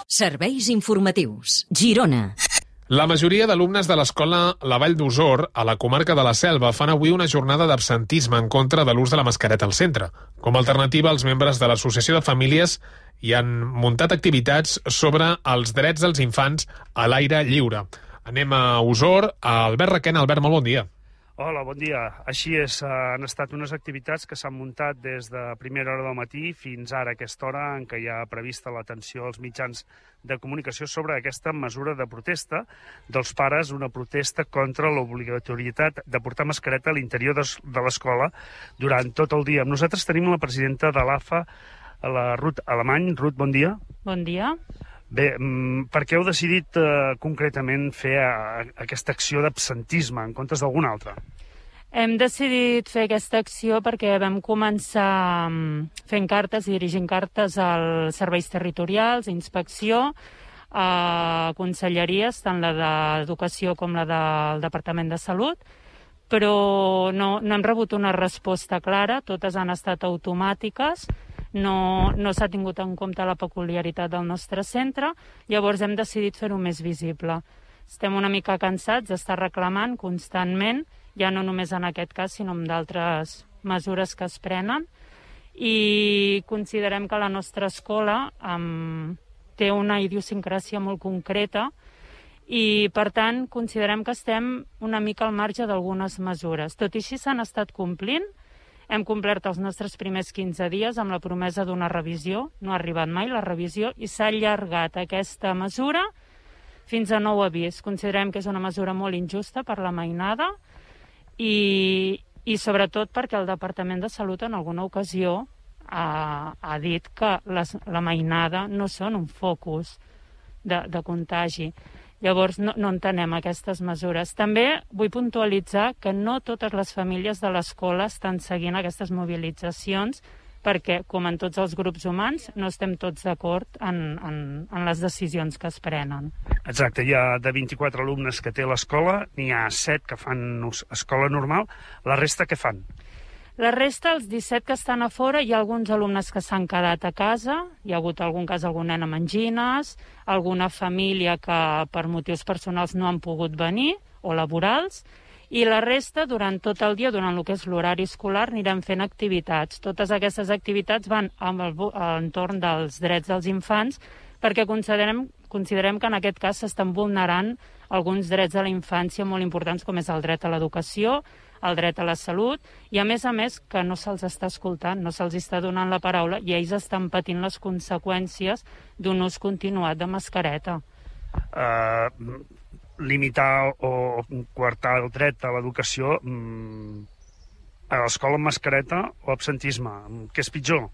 Serveis informatius. Girona. La majoria d'alumnes de l'escola La Vall d'Osor, a la comarca de la Selva, fan avui una jornada d'absentisme en contra de l'ús de la mascareta al centre. Com a alternativa, els membres de l'Associació de Famílies hi han muntat activitats sobre els drets dels infants a l'aire lliure. Anem a Osor. Albert Requena. Albert, molt bon dia. Hola, bon dia. Així és, han estat unes activitats que s'han muntat des de primera hora del matí fins ara, a aquesta hora en què hi ha prevista l'atenció als mitjans de comunicació sobre aquesta mesura de protesta dels pares, una protesta contra l'obligatorietat de portar mascareta a l'interior de l'escola durant tot el dia. Nosaltres tenim la presidenta de l'AFA, la Ruth Alemany. Ruth, bon dia. Bon dia. Bé, per què heu decidit concretament fer aquesta acció d'absentisme en comptes d'alguna altra? Hem decidit fer aquesta acció perquè vam començar fent cartes i dirigint cartes als serveis territorials, inspecció, a conselleries, tant la d'Educació com la del Departament de Salut, però no hem rebut una resposta clara, totes han estat automàtiques, no s'ha tingut en compte la peculiaritat del nostre centre, llavors hem decidit fer-ho més visible. Estem una mica cansats d'estar reclamant constantment, ja no només en aquest cas, sinó en d'altres mesures que es prenen, i considerem que la nostra escola té una idiosincràsia molt concreta i, per tant, considerem que estem una mica al marge d'algunes mesures. Tot i així s'han estat complint. Hem complert els nostres primers 15 dies amb la promesa d'una revisió. No ha arribat mai la revisió i s'ha allargat aquesta mesura fins a nou avís. Considerem que és una mesura molt injusta per la mainada i sobretot perquè el Departament de Salut en alguna ocasió ha dit que la mainada no són un focus de contagi. Llavors, no entenem aquestes mesures. També vull puntualitzar que no totes les famílies de l'escola estan seguint aquestes mobilitzacions perquè, com en tots els grups humans, no estem tots d'acord en les decisions que es prenen. Exacte, hi ha de 24 alumnes que té l'escola, n'hi ha 7 que fan escola normal. La resta què fan? La resta, els 17 que estan a fora, hi ha alguns alumnes que s'han quedat a casa, hi ha hagut algun cas, algun nen amb angines, alguna família que per motius personals no han pogut venir, o laborals, i la resta, durant tot el dia, durant el que és l'horari escolar, anirem fent activitats. Totes aquestes activitats van a l'entorn dels drets dels infants, perquè considerem que en aquest cas s'estan vulnerant alguns drets de la infància molt importants, com és el dret a l'educació, el dret a la salut, i a més que no se'ls està escoltant, no se'ls està donant la paraula, i ells estan patint les conseqüències d'un ús continuat de mascareta. Limitar o coartar el dret a l'educació a l'escola amb mascareta o absentisme, què és pitjor?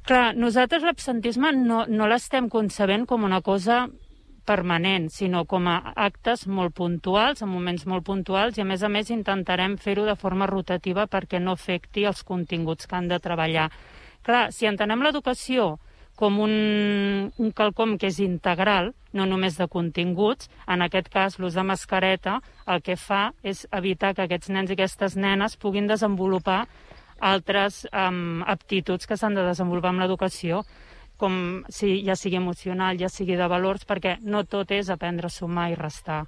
Clar, nosaltres l'absentisme no l'estem concebent com una cosa permanent, sinó com a actes molt puntuals, en moments molt puntuals, i a més intentarem fer-ho de forma rotativa perquè no afecti els continguts que han de treballar. Clar, si entenem l'educació com un quelcom que és integral, no només de continguts, en aquest cas l'ús de mascareta el que fa és evitar que aquests nens i aquestes nenes puguin desenvolupar altres aptituds que s'han de desenvolupar amb l'educació, com ja sigui emocional, ja sigui de valors, perquè no tot és aprendre a sumar i restar.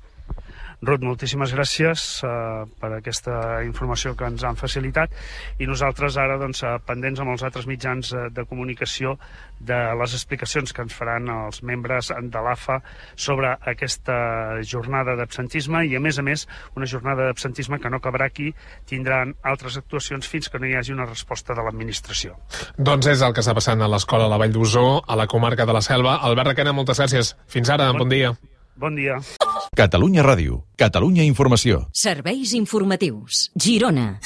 Ruth, moltíssimes gràcies per aquesta informació que ens han facilitat i nosaltres ara pendents amb els altres mitjans de comunicació de les explicacions que ens faran els membres de l'AFA sobre aquesta jornada d'absentisme i a més una jornada d'absentisme que no acabarà aquí, tindran altres actuacions fins que no hi hagi una resposta de l'administració. Doncs és el que està passant a l'escola La Vall d'Osor, a la comarca de la Selva. Albert Requena, moltes gràcies. Fins ara, bon dia. Bon dia. Catalunya Ràdio, Catalunya Informació. Serveis informatius. Girona.